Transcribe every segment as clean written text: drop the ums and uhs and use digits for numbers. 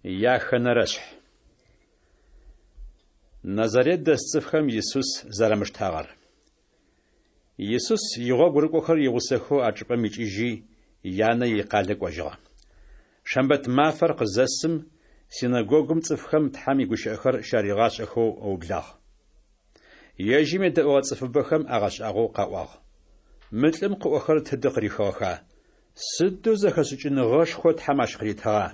Яхэнэрэшъхь. Назарет дэс цӏыфхэм Исус зэрамыштагъэр. Исус игъогу рыкӏохэр игъусэхэу а чӏыпӏэм икӏыжьи, янэ икъалэ кӏожьыгъэ. Шэмбэт мафэр къызэсым, синэгогум цӏыфхэм Тхьэм игущыӏэхэр щаригъашӏэхэу ыублагъ. Ежьым едэӏугъэ цӏыфыбэхэм агъэшӏагъоу къаӏуагъ: Мы лӏым къыӏохэрэр тыдэ къырихыгъэха? Сыдэу зэхэшӏыкӏыныгъэшхо Тхьэм ащ къыритыгъа?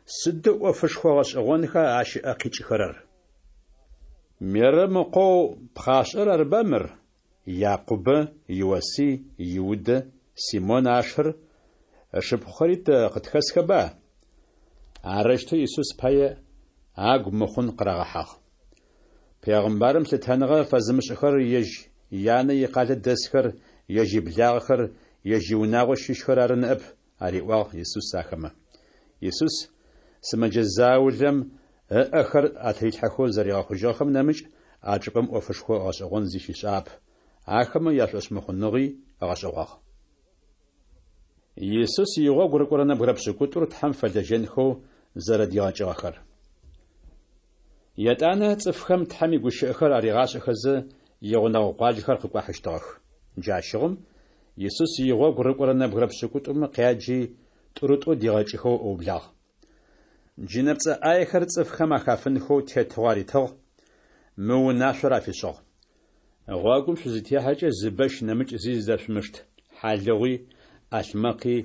Сыдэу ӏофышхо гъэшӏэгъонха ащ ыӏэ къикӏыхэрэр? Мерэм ыкъоу пхъашӏэр арыба мыр? Якъубэ, Иосый, Иудэ, Симон ашыр, ышыпхъухэри тэ къытхэсхэба? Арэущтэу Исус пае агу мыхъун къырагъэхьагъ. Пегъымбарым лъытэныгъэ фэзымышӏыхэрэр ежь янэ икъалэ дэсхэр, ежь иблагъэхэр, ежь иунагъо щыщхэр ары ныӏэп, ариӏуагъ Исус ахэмэ. Исус сымэджэ заулэм ыӏэхэр атырилъхьэхэу зэригъэхъужьыгъэхэм нэмыкӏ а чӏыпӏэм ӏофышхо гъэшӏэгъон зи щишӏагъэп, ахэмэ яшӏошъмыхъуныгъи ыгъэшӏэгъуагъ. Исус игъогу рыкӏорэ нэбгырэ пшӏыкӏутӏур Тхьэм фэлэжьэнхэу зэрэдигъэкӏыгъэхэр. Етӏанэ цӏыфхэм Тхьэм игущыӏэхэр аригъашӏэхэзэ, игъунэгъу къуаджэхэр къыкӏуахьыщтыгъэх. Джащыгъум Исус игъогу рыкӏорэ нэбгырэ пшӏыкӏутӏумэ къяджи, тӏурытӏоу дигъэкӏыхэу ыублагъ. Джынэпцӏэ ӏаехэр цӏыфхэм ахафынхэу тетыгъо аритыгъ, мы унашъор афишӏыгъ. Гъогум шъузытехьэкӏэ зы бэщ нэмыкӏ зи зыдэшъумышт, хьалыгъуи, ӏалъмэкъи,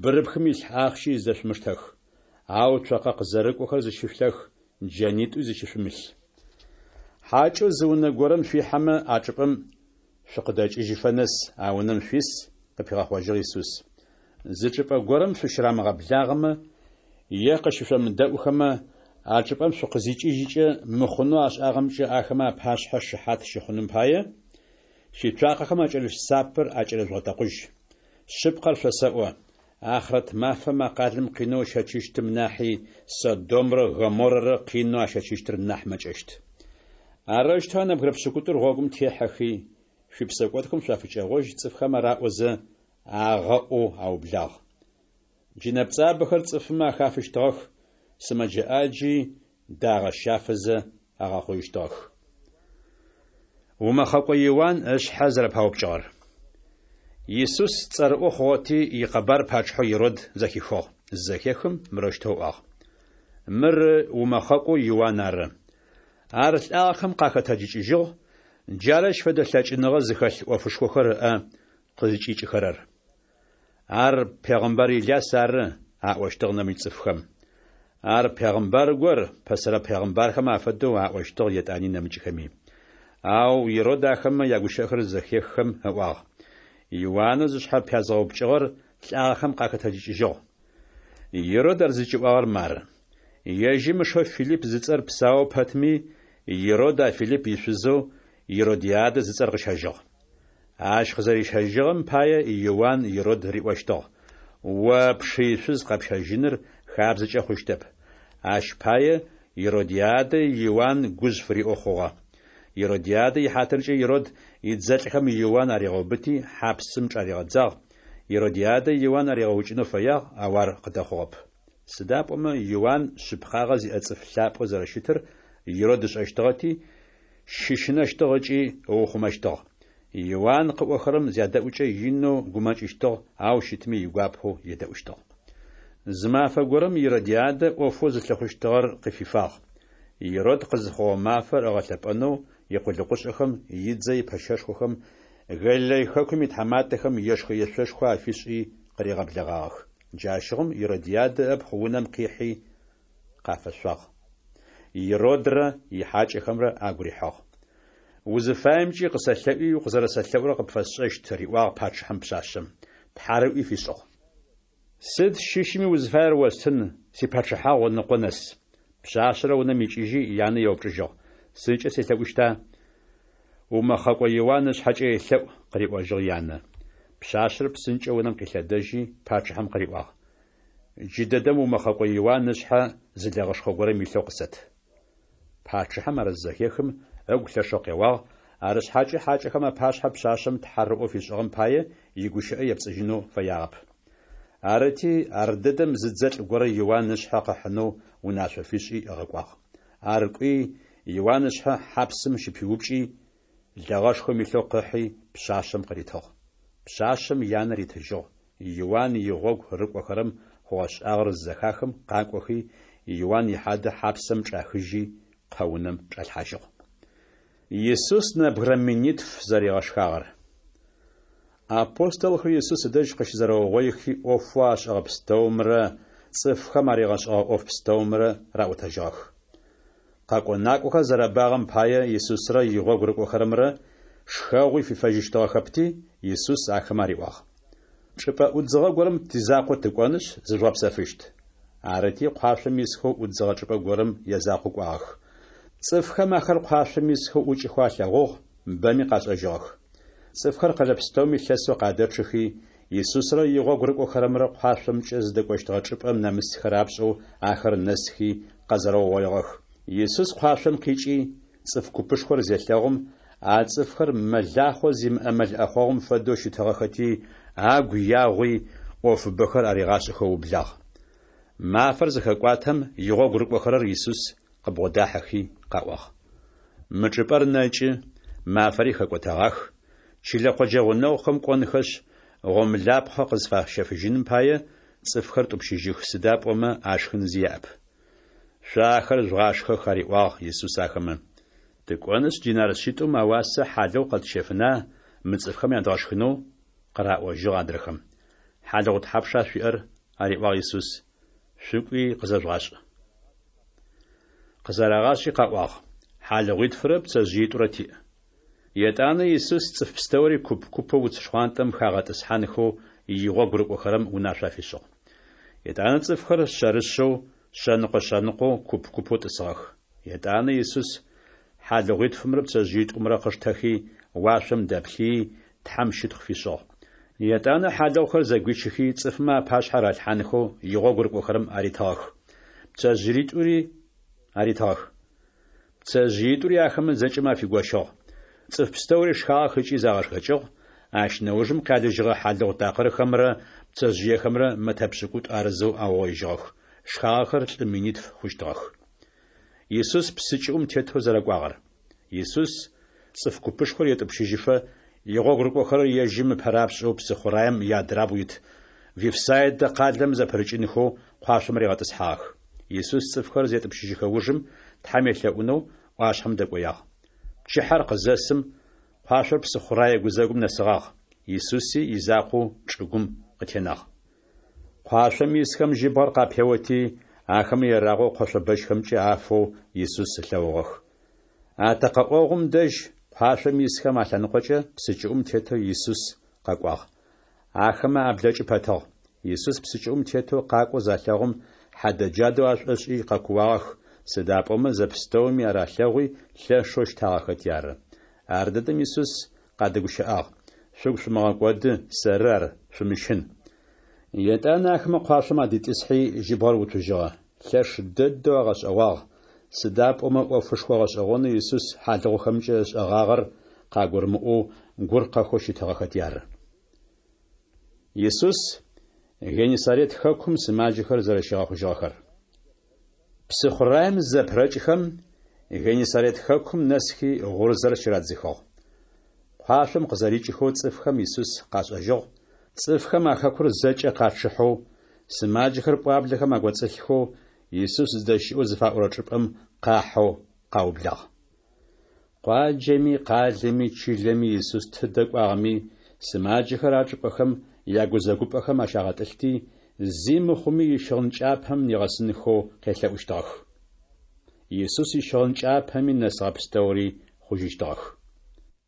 бырыпхым илъ ахъщи зыдэшъумыштэх. Ау цокъэ къызэрыкӏохэр зыщышъулъэх, джэнитӏуи зыщышъумылъ. Хьакӏэу зы унэ горэм шъуихьэмэ, а чӏыпӏэм шъукъыдэкӏыжьыфэ нэс а унэм шъуис, къыпигъэхъожьыгъ Исус. Зы чӏыпӏэ горэм шъущырамыгъэблагъэмэ е къышъомыдэӏухэмэ, а чӏыпӏэм шъукъызикӏыжькӏэ мыхъунэу ашӏагъэмкӏэ ахэмэ апашъхьэ шыхьат щыхъуным пае, шъуицуакъэхэм акӏэрылъ сапэр акӏэрыжъугъэтэкъужь. Шъыпкъэр шъосэӏо, ахърэт мафэм а къалэм къинэу ыщэчыщтым нахьи Содомрэ Гоморрэрэ къинэу ащэчыщтыр нахь мэкӏэщт. Арэущтэу а нэбгырэ пшӏыкӏутӏур гъогум техьэхи, шъуипсэкӏодхэм шъуафыкӏэгъожь цӏыфхэм араӏозэ, агъэӏоу аублагъ. Джынэпцӏабэхэр цӏыфмэ ахафыщтыгъэх, сымэджэ ӏаджи дагъэ щафэзэ агъэхъужьыщтыгъэх. Умэхъэкӏо Иуан ышъхьэ зэрэпаупкӏыгъэр. Исус цӏэрыӏо хъугъэти, икъэбар пачъыхьэу Ирод зэхихыгъ. Зызэхехым, мырэущтэу ыӏуагъ: Мыр умэхъэкӏоу Иуан ары. Ар лӏагъэхэм къахэтэджыкӏыжьыгъ, джары ащ фэдэ лъэкӏыныгъэ зыхэлъ ӏофышхохэр ыӏэ къызкӏикӏыхэрэр. Ар пегъымбар Иляс ары, аӏощтыгъ нэмыкӏ цӏыфхэм. Ар пегъымбар гор, пэсэрэ пегъымбархэм афэдэу, аӏощтыгъ етӏани нэмыкӏхэми. Ау Ирод ахэмэ ягущыӏэхэр зэхеххэм ыӏуагъ: Иуанэу зышъхьэ пязгъэупкӏыгъэр лӏагъэхэм къахэтэджыкӏыжьыгъ. Ирод ар зыкӏиӏуагъэр мары: ежьым ышэу Филипп зыцӏэр псаоу пэтми, Ирод а Филипп ишъузэу Иродиадэ зыцӏэр къыщэжьыгъ. Ащ къызэрищэжьыгъэм пае Иуан Ирод риӏощтыгъ: О пшы ишъуз къэпщэжьыныр хабзэкӏэ хъущтэп. Ащ пае Иродиадэ Иуан гужъ фыриӏэу хъугъэ. Иродиадэ ихьатыркӏэ Ирод идзэлӏхэм Иуан аригъэубыти, хьапсым чӏаригъэдзагъ. Иродиадэ Иуан аригъэукӏынэу фэягъ, ау ар къыдэхъугъэп. Сыда пӏомэ Иуан шъыпкъагъэ зиӏэ цӏыф лъапӏэу зэрэщытыр Ирод ышӏэщтыгъэти, щыщынэщтыгъ ыкӏи ыухъумэщтыгъ. Иуан къыӏохэрэм зядэӏукӏэ инэу гумэкӏыщтыгъ, ау щытми игуапэу едэӏущтыгъ. Зы мафэ горэм Иродиадэ ӏофэу зылъыхъущтыгъэр къыфифагъ. Ирод къызыхъугъэ мафэр ыгъэлъэпӏэнэу икъулыкъушӏэхэм, идзэ ипэщэшхохэм, Галилей хэкум итхьаматэхэм ешхэ-ешъошхо афишӏи къыригъэблэгъагъэх. Джащыгъум Иродиадэ ыпхъу унэм къихьи къафэшъуагъ. Иродрэ ихьакӏэхэмрэ агу рихьыгъ. Узыфаемкӏи къысэлъэӏуи укъызэрэсэлъэӏурэр къыпфэсшӏэщт, риӏуагъ пачъыхьэм пшъашъэм. Тхьарыӏуи фишӏыгъ. Сыд щыщми узыфаер остын, сипачъыхьагъу ыныкъо нэс. Пшъашъэр унэм икӏыжьи, янэ еупчӏыжьыгъ: Сыдкӏэ селъэӏущта? Умэхъэкӏо Иуан ышъхьэкӏэ елъэӏу, къыриӏожьыгъ янэ. Пшъашъэр псынкӏэу унэм къилъэдэжьи, пачъыхьэм къыриӏуагъ: Джыдэдэм умэхъэкӏо Иуан ышъхьэ зы лэгъэшхо горэм илъэу къысэт. Пачъыхьэм ар зызэхехым, ыгу лъэшэу къеуагъ, арышъхьакӏэ хьакӏэхэм апашъхьэ пшъашъэм тхьарыӏоу фишӏыгъэм пае игущыӏэ епцӏыжьынэу фэягъэп. Арыти, ардэдэм зы дзэлӏ горэ Иуан ышъхьэ къыхьынэу унашъо фишӏи ыгъэкӏуагъ. Ар кӏуи, Иуан ышъхьэ хьапсым щыпиупкӏи, лэгъэшхом илъэу къыхьи, пшъашъэм къыритыгъ. Пшъашъэм янэ ритыжьыгъ. Иуан игъогу рыкӏохэрэм хъугъэшӏагъэр зызэхахым къакӏохи, Иуан ихьадэ хьапсэм чӏахыжьи, къэунэм чӏалъхьажьыгъ. Исус нэбгырэ минитф зэригъэшхагъэр. Апостолхэр Исус ыдэжь къыщызэрэугъоихи, ӏофэу ашӏэгъэ пстэумрэ цӏыфхэм аригъэшӏэгъэ ӏоф пстэумрэ раӏотэжьыгъэх. Къэкӏо-накӏохэр зэрэбагъэм пае Исусрэ игъогу рыкӏохэрэмрэ шхэгъуи фифэжьыщтыгъэхэпти, Исус ахэмэ ариӏуагъ. Чӏыпӏэ ӏудзыгъэ горэм тизакъоу тыкӏонышъ, зыжъугъэпсэфыщт. Арыти, къуашъом исхэу ӏудзыгъэ чӏыпӏэ горэм язакъоу кӏуагъэх. Цӏыфхэм ахэр къуашъом исхэу ӏукӏыхэу алъэгъугъ, бэми къашӏэжьыгъэх. Цӏыфхэр къэлэ пстэуми лъэсэу къадэчъыхи, Исусрэ игъогу рыкӏохэрэмрэ къуашъомкӏэ зыдэкӏощтыгъэ чӏыпӏэм нэмысхэ рапшӏэу ахэр нэсхи къэзэрэугъоигъэх. Исус къуашъом къикӏи, цӏыф купышхор зелъэгъум, а цӏыфхэр мэлахъо зимыӏэ мэл ӏэхъогъум фэдэу щытыгъэхэти, агу ягъуи, ӏофыбэхэр аригъашӏэхэу ыублагъ. Мафэр зыхэкӏуатэм, игъогу рыкӏохэрэр Исус къыбгъодахьэхи къаӏуагъ. Мы чӏыпӏэр нэкӏы, мафэри хэкӏотэгъах, чылэ къоджэ гъунэгъухэм кӏонхэшъ, гъомлапхъэ къызфащэфыжьыным пае, цӏыфхэр тӏупщыжьых, сыда пӏомэ ашхын зи яӏэп. Шъо ахэр жъугъашхэх, ариӏуагъ Исус ахэмэ. Тыкӏонышъ, динар шъитӏум ауасэ хьалыгъу къэтщэфына мы цӏыфхэм ядгъэшхынэу? къыраӏожьыгъ адрэхэм. Хьалыгъу тхьапша шъуиӏэр? ариӏуагъ Исус. Шъукӏуи къызэжъугъашӏ. Къызэрагъашӏи къаӏуагъ, Хьалыгъуитфырэ пцэжъыитӏурэ тиӏ. Етӏанэ Исус цӏыф пстэури куп-купэу уц шхъуантӏэм хагъэтӏысхьанхэу игъогу рыкӏохэрэм унашъо афишӏыгъ. Етӏанэ цӏыфхэр шъэрышъэу, шъэныкъо-шъэныкъоу, куп-купэу тӏысыгъэх. Етӏанэ Исус хьалыгъуитфымрэ пцэжъыитӏумрэ къыштэхи, уашъом дэплъыий, Тхьэм щытхъу фишӏыгъ. Етӏанэ хьалыгъухэр зэгуичыхи, цӏыфмэ апашъхьэ ралъхьанхэу игъогу рыкӏохэрэм аритыгъэх. Пцэжъыитӏури аритыгъэх. Пцэжъыитӏури ахэмэ зэкӏэмэ афигощыгъ. Цӏыф пстэури шхагъэх ыкӏи загъэшхэкӏыгъ, ащ нэужым къялыжьыгъэ хьалыгъу такъырхэмрэ пцэжъыехэмрэ мэтэ пшӏыкӏутӏу арызэу аугъоижьыгъэх. Шхагъэхэр лӏы минитф хъущтыгъэх. Исус псы кӏыӏум тетэу зэрэкӏуагъэр. Исус цӏыф купышхор етӏупщыжьыфэ, игъогу рыкӏохэрэр ежьым ыпэрапшӏэу псыхъураем иадрабгъу ит Вифсайдэ къалэм зэпырыкӏынхэу къуашъом ригъэтӏысхьагъэх. Исус цӏыфхэр зетӏупщыжьыхэ ужым Тхьэм елъэӏунэу ӏуашъхьэм дэкӏоягъ. Пчыхьэр къызэсым, къуашъор псыхъурае гузэгум нэсыгъагъ, Исуси изакъоу чӏыгум къытенагъ. Къуашъом исхэм жьыбгъэр къапеоти, ахэмэ ерагъэу къошъобэщхэмкӏэ афэу Исус ылъэгъугъэх. Атэкъэӏогъум дэжь къуашъом исхэм алъэныкъокӏэ псы кӏыӏум тетэу Исус къэкӏуагъ. Ахэмэ аблэкӏы пэтыгъ. Исус псы кӏыӏум тетэу къакӏоу залъэгъум, хьадэджадэу ашӏошӏи къэкууагъэх, сыда пӏомэ зэпстэуми ар алъэгъуи лъэшэу щтагъэхэти ары. Ардэдэм Исус къадэгущыӏагъ, Шъугу шъумыгъэкӏоды, сэры ар, шъумыщын. Етӏанэ ахэмэ къуашъом адитӏысхьи, жьыбгъэр уцужьыгъэ. Лъэш дэдэу агъэшӏэгъуагъ, сыда пӏомэ ӏофышхо гъэшӏэгъонэу Исус хьалыгъухэмкӏэ ышӏэгъагъэр къагурымыӏоу гур къэхэу щытыгъэхэти ары. Исус Геннисарет хэкум сымаджэхэр зэрэщигъэхъужьыгъэхэр. Псыхъураем зызэпырэкӏхэм, Геннисарет хэкум нэсхи гъурзэр щырадзыхыгъ. Къуашъом къызэрикӏыхэу цӏыфхэм Исус къашӏэжьыгъ, цӏыфхэм а хэкур зэкӏэ къачъыхьэу, сымаджэхэр пӏуаблэхэм акӏоцӏылъхэу Исус зыдэщыӏэу зыфаӏорэ чӏыпӏэм къахьэу къаублагъ. Къуаджэми, къалэми, чылэми Исус тыдэ кӏуагъэми, сымаджэхэр а чӏыпӏэхэм ягузэгупӏэхэм ащагъэтӏылъти, зи мыхъуми ищыгъын кӏапэм нигъэсынхэу къелъэӏущтыгъэх. Исус ищыгъын кӏапэми нэсыгъэ пстэури хъужьыщтыгъэх.